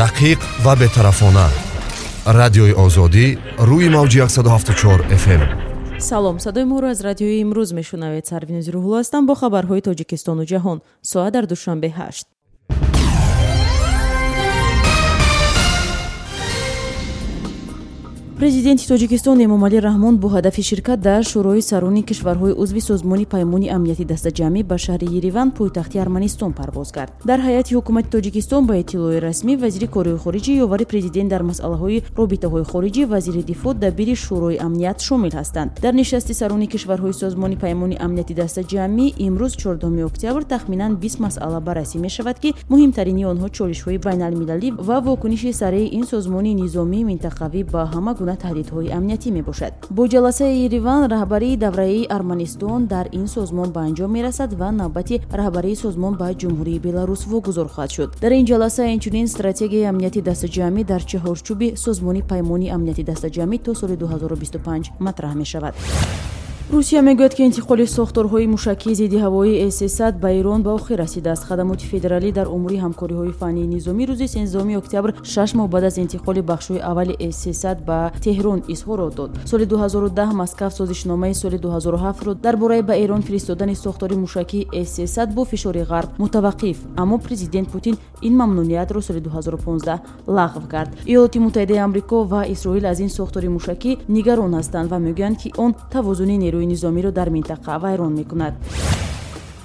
Дақиқ ва бетарафона. Радиои Озодӣ рӯи мавҷи 174 FM. Салом, садои моро аз радиои имрӯз мешунавед. Сарвинози Рӯҳулло ҳастам бо хабарҳои Тоҷикистону ҷаҳон. Соат дар Душанбе 8. Президенти Тоҷикистон Эмомалӣ Раҳмон бо ҳадафи ширкат дар Шӯрои сарони кишварҳои узви Созмони Паймони Амнияти Дастаҷамъӣ ба шаҳри Ереван, пойтахти Арманистон, парвоз кард. Дар ҳайати ҳукумати Тоҷикистон ба иттилои расмӣ вазири корҳои хориҷӣ, ёвари президент дар масъалаҳои робитаҳои хориҷӣ, вазири дифоъ, дабири Шӯрои амният шомил ҳастанд. Дар нишасти сарони кишварҳои Созмони Паймони Амнияти Дастаҷамъӣ имрӯз 14 октябр тахминан 20 масъала баррасӣ мешавад, ки муҳимтарини онҳо чолишҳои байналмилалӣ ва вокуниши сареи ин созмони низомии минтақавӣ ба ҳама гуна таҳдидҳои амниятӣ мебошад. Бо ҷаласаи Ереван раҳбарии давраи Арманистон дар ин созмон ба анҷом мерасад ва навбати раҳбарии созмон ба Ҷумҳурии Беларус вогузор хоҳад шуд. Дар ин ҷаласа инчунин стратегияи амнияти дастаҷамъӣ дар чаҳорчӯби Созмони Паймони Амнияти Дастаҷамъӣ то соли 2025 матраҳ мешавад. Русия мегӯяд, ки интиқоли сохторҳои мушакии зидди ҳавоии С-300 ба Эрон ба охир расидааст. Хадамоти федералӣ дар умури ҳамкориҳои фаннии низомӣ рӯзи 13 октябр, 6 моҳ баъд аз интиқоли бахшҳои аввали С-300 ба Теҳрон изҳорот дод. Соли 2010 Москав созишномаи соли 2007-ро дар бораи ба Эрон фиристодани сохтори мушакии С-300 бо фишори ғарб мутаваққиф, аммо президент Путин ин мамнуниятро соли 2015 лағв кард. Иёлоти Муттаҳидаи Амрико ва Исроил аз ин сохтори мушакӣ нигарон ҳастанд ва мегӯянд, ки он тавозуни нерӯи низомиро дар минтақа вайрон мекунад.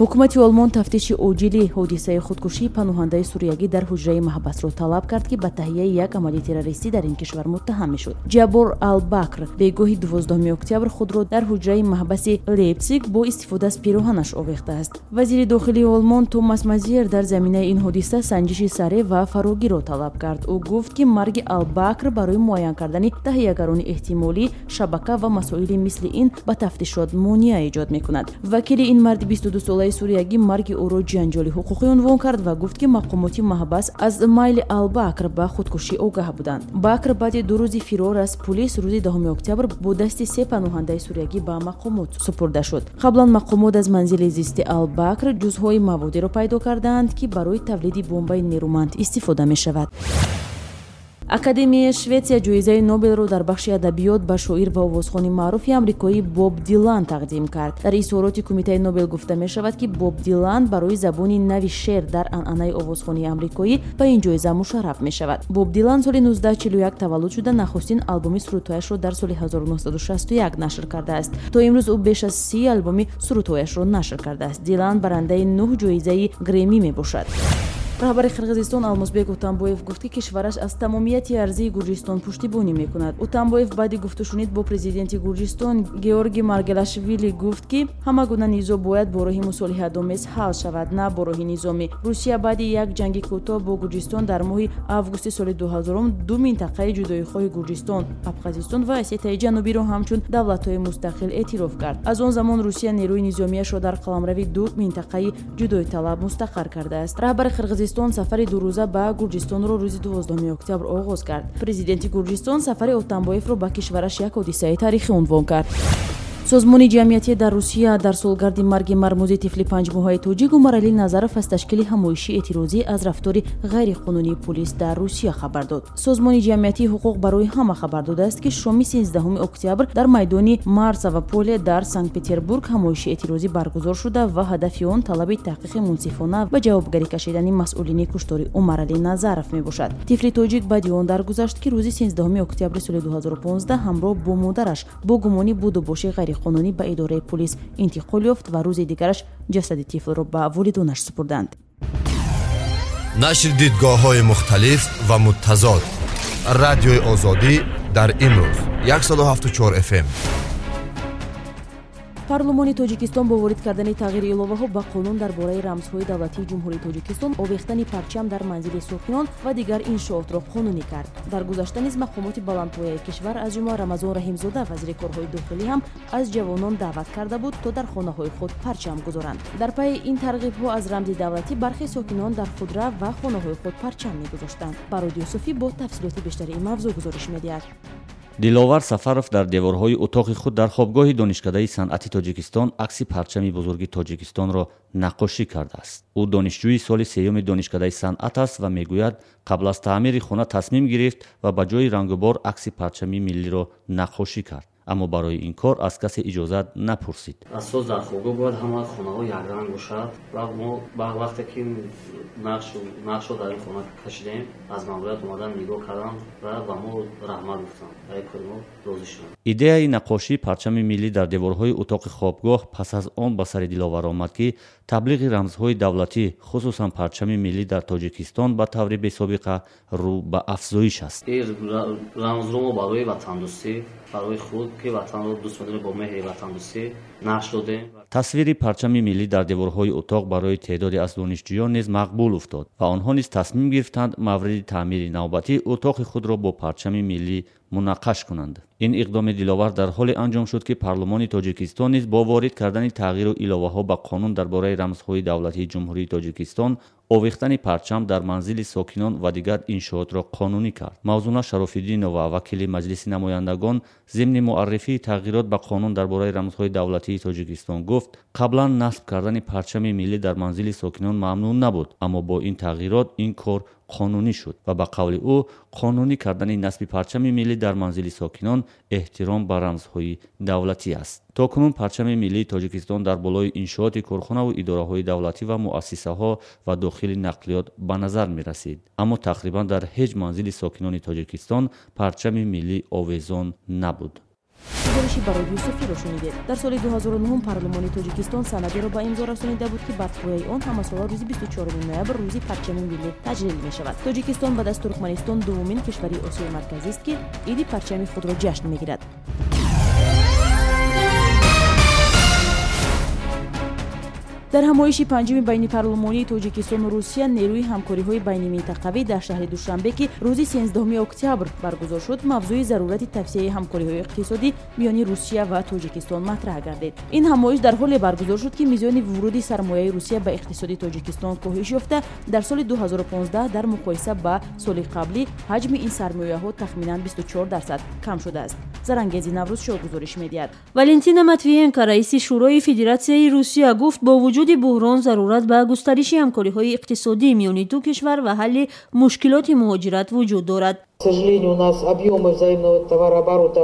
Ҳукумати Олмон тафтиши оҷили ҳодисаи худкушии паноҳандаи суриягӣ дар ҳуҷраи маҳбасро талаб кард, ки ба таҳияи як амали террористӣ дар ин кишвар муттаҳам мешуд. Ҷаббор Албакр бегоҳи 12 октябр худро дар ҳуҷраи маҳбаси Лейпсиг бо истифода аз пироҳанаш овехтааст. Вазири дохилии Олмон Томас Мазиер дар заминаи ин ҳодиса санҷиши сареъ ва фарогирро талаб кард. Ӯ гуфт, ки марги Албакр барои муайян кардани таҳиягарони эҳтимолӣ, шабака ва масоили мисли ин ба тафтишот монеа эҷод мекунад. Вакили ин марди 22-солаи суриягӣ марги ӯро ҷанҷоли ҳуқуқӣ унвон кард ва гуфт, ки мақомоти маҳбас аз майли Албакр ба худкушӣ огаҳ буданд. Бакр баъди 2 рӯзи фирор аз пулис рӯзи 10 октябр бо дасти 3 паноҳандаи суриягӣ ба мақомот супурда шуд. Қаблан мақомот аз манзили зисти Албакр ҷузъҳои маводеро пайдо кардаанд, ки барои тавлиди бомбаи нерӯманд истифода мешавад. Академияи Шветсия ҷоизаи Нобелро дар бахши адабиёт ба шоир ва овозхони маъруфи амрикоӣ Боб Дилан тақдим кард. Дар изҳороти Кумитаи Нобел гуфта мешавад, ки Боб Дилан барои забони нави шеър дар анъанаи овозхонии амрикоӣ ба ин ҷоиза мушарраф мешавад. Боб Дилан соли 1941 таваллуд шуда, нахустин албоми сурудҳояшро дар соли 1961 нашр кардааст. То имрӯз ӯ беш аз 30 албоми сурудҳояшро нашр кардааст. Дилан барандаи 9 ҷоизаи Грэмми мебошад. Раҳбари Қирғизистон Алмозбек Отамбоев гуфт, ки кишвараш аз тамомияти арзии Гурҷистон пуштибонӣ мекунад. Отамбоев баъди гуфтушунид бо президенти Гурҷистон Георги Маргелашвили гуфт, ки ҳама гуна низоъ бояд бо роҳи мусолиҳатомез ҳал шавад, на бо роҳи низомӣ. Русия баъди як ҷанги кӯтоҳ бо Гурҷистон дар моҳи августи соли 2000 ду минтақаи ҷудоихоҳи Гурҷистон, Абхазистон ва Осетияи Ҷанубиро ҳамчун давлатҳои мустақил эътироф кард. Аз он замон Русия нерӯи низомиашро дар қаламрави ду минтақаи ҷудоиталаб мустақар кардааст. Раҳбари Қирғизистон сафари дурӯза ба Гурҷистонро рӯзи 12 октябр оғоз кард. Президенти Гурҷистон сафари Отамбоевро ба кишвараш як ҳодисаи таърихӣ унвон кард. Созмони ҷамъиятӣ дар Русия дар солгарди марги мармузи тифли панҷмоҳаи тоҷик Умаралӣ Назаров аз ташкили ҳамоиши эътирозӣ аз рафтори ғайриқонунии пулис дар Русия хабар дод. Созмони ҷамъиятии ҳуқуқ барои ҳама хабар додааст, ки шоми 13 октябр дар майдони Марсово поле дар Санкт-Петербург ҳамоиши эътирозӣ баргузор шуда ва ҳадафи он талаби таҳқиқи мунсифона ва ҷавобгарӣ кашидани масъулини куштори Умаралӣ Назаров мебошад. Тифли тоҷик баъди он даргузашт, ки рӯзи 13 октябри соли 2015 ҳамроҳ бо модараш бо гумони будубоши ғайриқонунӣ ба идораи пулис интиқол ёфт ва рӯзи дигараш ҷасади тифлро ба волидонаш супурданд. Нашри дидгоҳҳои мухталиф ва муттазод. Радиои Озодӣ дар имрӯз 174 FM. Парлумони Тоҷикистон бо ворид кардани тағйири иловаҳо ба қонун дар бораи рамзҳои давлатии Ҷумҳурии Тоҷикистон овехтани парчам дар манзили сокинон ва дигар иншоотро қонунӣ кард. Дар гузашта низ мақомоти баландпояи кишвар, аз ҷумла Рамазон Раҳимзода, вазири корҳои дохилӣ, ҳам аз ҷавонон даъват карда буд, то дар хонаҳои худ парчам гузоранд. Дар пайи ин тарғибҳо аз рамзи давлатӣ бархе сокинон дар худрав ва хонаҳои худ парчам мегузоштанд. Барод Юсуфӣ бо тафсилоти бештари ин мавзӯъ гузориш медиҳад. Диловар Сафаров дар деворҳои утоқи худ дар хобгоҳи Донишкадаи санъати Тоҷикистон акси парчами бузурги Тоҷикистонро наққошӣ кардааст. Ӯ донишҷӯи соли сеюми Донишкадаи санъат аст ва мегӯяд, қабл аз таъмири хона тасмим гирифт ва ба ҷои рангубор акси парчами миллиро наққошӣ кард. Аммо барои ин кор аз касе иҷозат напурсид. Асос дар хобгоҳ бояд ҳама хонаҳо якранг бошад ва мо ба вақте ки нақшро дар ин хона кашидем, аз мамурият омадан нигоҳ карданд ва ба мо раҳмат гуфтанд. Ба ин кори мо розӣ шуданд. Идеяи наққошии парчами миллӣ дар деворҳои утоқи хобгоҳ пас аз он ба сари Диловар омад, ки таблиғи рамзҳои давлатӣ, хусусан парчами миллӣ дар Тоҷикистон ба таври бесобиқа рӯ ба афзоиш аст. Ин рамзро мо барои ватандӯстӣ, барои худ ки ватанро дӯст медорем, бо меҳри ватандӯстӣ нақш додем. Тасвири парчами миллӣ дар деворҳои утоқ барои теъдоде аз донишҷӯён низ мақбул уфтод ва онҳо низ тасмим гирифтанд мавриди таъмири навбатӣ утоқи худро бо парчами миллӣ мунаққаш кунанд. Ин иқдоми Диловар дар ҳоле анҷом шуд, ки парлумони Тоҷикистон низ бо ворид кардани тағйиру иловаҳо ба қонун дар бораи рамзҳои давлатии Ҷумҳурии Тоҷикистон овехтани парчам дар манзили сокинон ва дигар иншоотро қонунӣ кард. Мавзуна Шарофиддинова, вакили Маҷлиси намояндагон, зимни муаррифии тағйирот ба қонун дар бораи рамзҳои давлатии Тоҷикистон гуфт, қаблан насб кардани парчами миллӣ дар манзили сокинон мамнӯъ набуд, аммо бо ин тағйирот ин кор қонунӣ шуд ва ба қавли ӯ қонунӣ кардани насби парчами миллӣ дар манзили сокинон эҳтиром ба рамзҳои давлатӣ аст. То кунун парчами миллии Тоҷикистон дар болои иншооти корхонаву идораҳои давлатӣ ва муассисаҳо ва дохили нақлиёт ба назар мерасид, аммо тақрибан дар ҳеҷ манзили сокинони Тоҷикистон парчами миллӣ овезон набуд. Гузориши Барод Юсуфиро шунидед. Дар соли 2009 парлумони Тоҷикистон санадеро ба имзо расонида буд, ки бар пояи он ҳамасола рӯзи 24 ноябр рӯзи парчами миллӣ таҷлил мешавад. Тоҷикистон баъд аз Туркманистон дуввумин кишвари Осиёи Марказист, ки иди парчами худро ҷашн мегирад. Дар ҳамоиши панҷуми байнипарлумонии Тоҷикистону Русия нерӯи ҳамкориҳои байниминтақавӣ дар шаҳри Душанбе, ки рӯзи 13 октябр баргузор шуд, мавзӯи зарурати тавсияи ҳамкориҳои иқтисодӣ миёни Русия ва Тоҷикистон матраҳ гардид. Ин ҳамоиш дар ҳоле баргузор шуд, ки мизони вуруди сармояи Русия ба иқтисоди Тоҷикистон коҳиш ёфта, дар соли 2015 дар муқоиса ба соли қаблӣ ҳаҷми ин сармояҳо тахминан 24% кам шудааст. Зарангези Наврӯзшоҳ гузориш медиҳад. Валентина Матвиенко, раиси Шӯрои Федератсияи Русия, гуфт бо вуҷуди буҳрон зарурат ба густариши ҳамкориҳои иқтисодӣ миёни ду кишвар ва ҳалли мушкилоти муҳоҷират вуҷуд дорад. К сожалению, у нас объемы взаимного товарооборота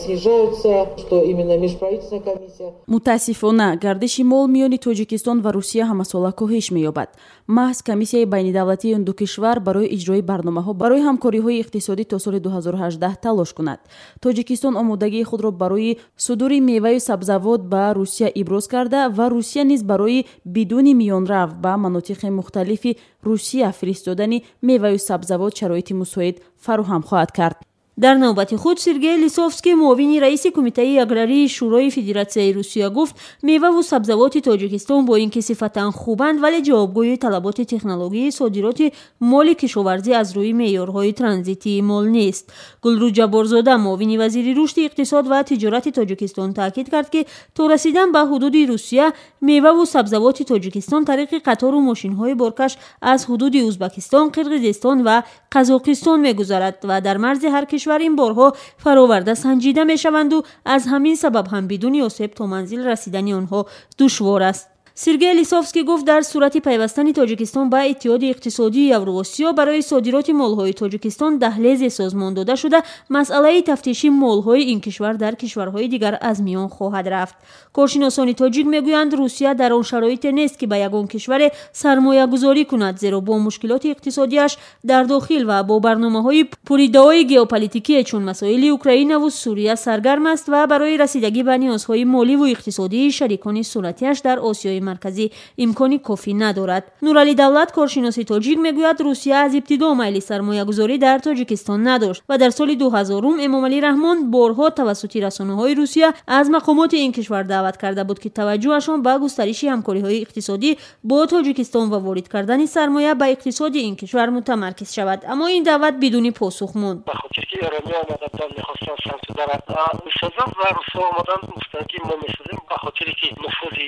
снижаются, что именно межправительственная комиссия. Мутаассифона, гардиши мол миёни Тоҷикистон ва Русия ҳамасола коҳиш меёбад. Маҳз комиссияи байнидавлатии ин ду кишвар барои иҷрои барномаҳо барои ҳамкориҳои иқтисодӣ то соли 2018 талош кунад. Тоҷикистон омодагии худро барои судури меваю сабзавот ба Русия иброз карда ва Русия низ барои бидуни миёнрав ба манотиқи мухталифи Русия фиристодани меваю сабзавот шароити мусоид фароҳам хоҳад кард. Дар навбати худ Сергей Лисовский, муовини раиси Кумитаи аграрии Шӯрои Федератсияи Русия, гуфт меваву сабзавоти Тоҷикистон бо ин ки сифатан хубанд, вале ҷавобгӯи талаботи технологияи содироти моли кишоварзӣ аз рӯи меъёрҳои транзитии мол нест. Гулрӯз Ҷабборзода, муовини вазири рушди иқтисод ва тиҷорати Тоҷикистон, таъкид кард, ки то расидан ба ҳудуди Русия меваву сабзавоти Тоҷикистон тариқи қатору мошинҳои боркаш аз ҳудуди Узбакистон, Қирғизистон ва Қазоқистон мегузарад ва дар марзи ҳар кишвар ин борҳо фароварда санҷида мешаванду аз ҳамин сабаб ҳам бидуни осеб то манзил расидани онҳо душвор аст. Сергей Лисовский гуфт дар сурати пайвастани Тоҷикистон ба Иттиҳоди иқтисодии Евроосиё барои содироти молҳои Тоҷикистон даҳлезе созмон дода шуда, масъалаи тафтиши молҳои ин кишвар дар кишварҳои дигар аз миён хоҳад рафт. Коршиносони тоҷик мегӯянд, Русия дар он шароите нест, ки ба ягон кишваре сармоягузорӣ кунад, зеро бо мушкилоти иқтисодиаш дар дохил ва бо барномаҳои пуриддаои геополитикие чун масоили Украинаву Сурия саргарм аст ва барои расидагӣ ба ниёзҳои моливу иқтисодии шарикони суръатиаш дар Осиёи Марказӣ имкони кофӣ надорад. Нуралӣ Давлат, коршиноси тоҷик, мегӯяд Русия аз ибтидо майли сармоягузорӣ дар Тоҷикистон надошт ва дар соли 2000 Эмомалӣ Раҳмон борҳо тавассути расонаҳои Русия аз мақомоти ин кишвар даъват карда буд, ки таваҷҷӯҳашон ба густариши ҳамкориҳои иқтисодӣ бо Тоҷикистон ва ворид кардани сармоя ба иқтисоди ин кишвар мутамаркиз шавад. Аммо ин даъват бидуни посух монд. Ба хотир ки эрониҳо омаданд, мехостанд Самсудара бисозанд ва русҳо омаданд, гуфтанд ки мо месозем, ба хотире ки нуфузи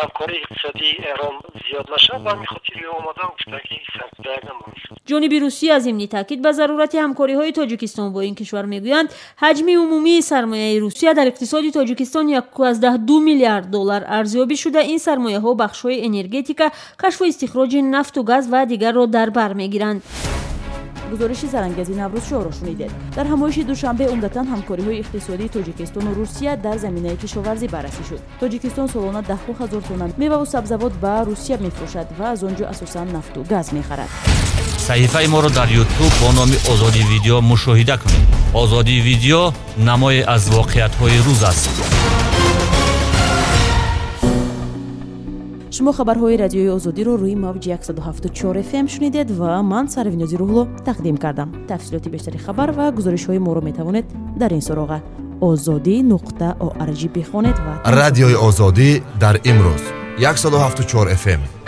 ҳамкории иқтисодии Эрон зиёд нашавад, ба ҳамин хотир омадан гуфтанд ки Самсудара мо месозем. Ҷониби Русия зимни таъкид ба зарурати ҳамкориҳои Тоҷикистон бо ин кишвар мегӯянд, ҳаҷми умумии сармояи Русия дар иқтисоди Тоҷикистон 1,2 миллиард доллар арзёбӣ шуда, ин сармояҳо бахшҳои энергетика, кашфу истихроҷи нафту газ ва дигарро дар бар мегиранд. Гузориши Зарангези Наврӯзшоҳро шунидед. Дар ҳамоиши Душанбе умдатан ҳамкориҳои иқтисодии Тоҷикистону Русия дар заминаи кишоварзӣ баррасӣ шуд. Тоҷикистон солона даҳҳо ҳазор тонна меваву сабзавот ба Русия мефурӯшад ва аз он ҷо асосан нафту газ мехарад. Саҳифаи моро дар Ютуб бо номи Озодӣ Видео мушоҳида кунед. Озодӣ Видео намое аз воқеиятҳои рӯз аст. Шумо хабарҳои Радиои Озодиро рӯи мавҷи 174 фм шунидед ва ман, Сарвинози Рӯҳло, тақдим кардам. Тафсилоти бештари хабар ва гузоришҳои моро метавонед дар ин суроға озодӣ.org бихонед ва Радиои Озодӣ дар имрӯз, 174 фм.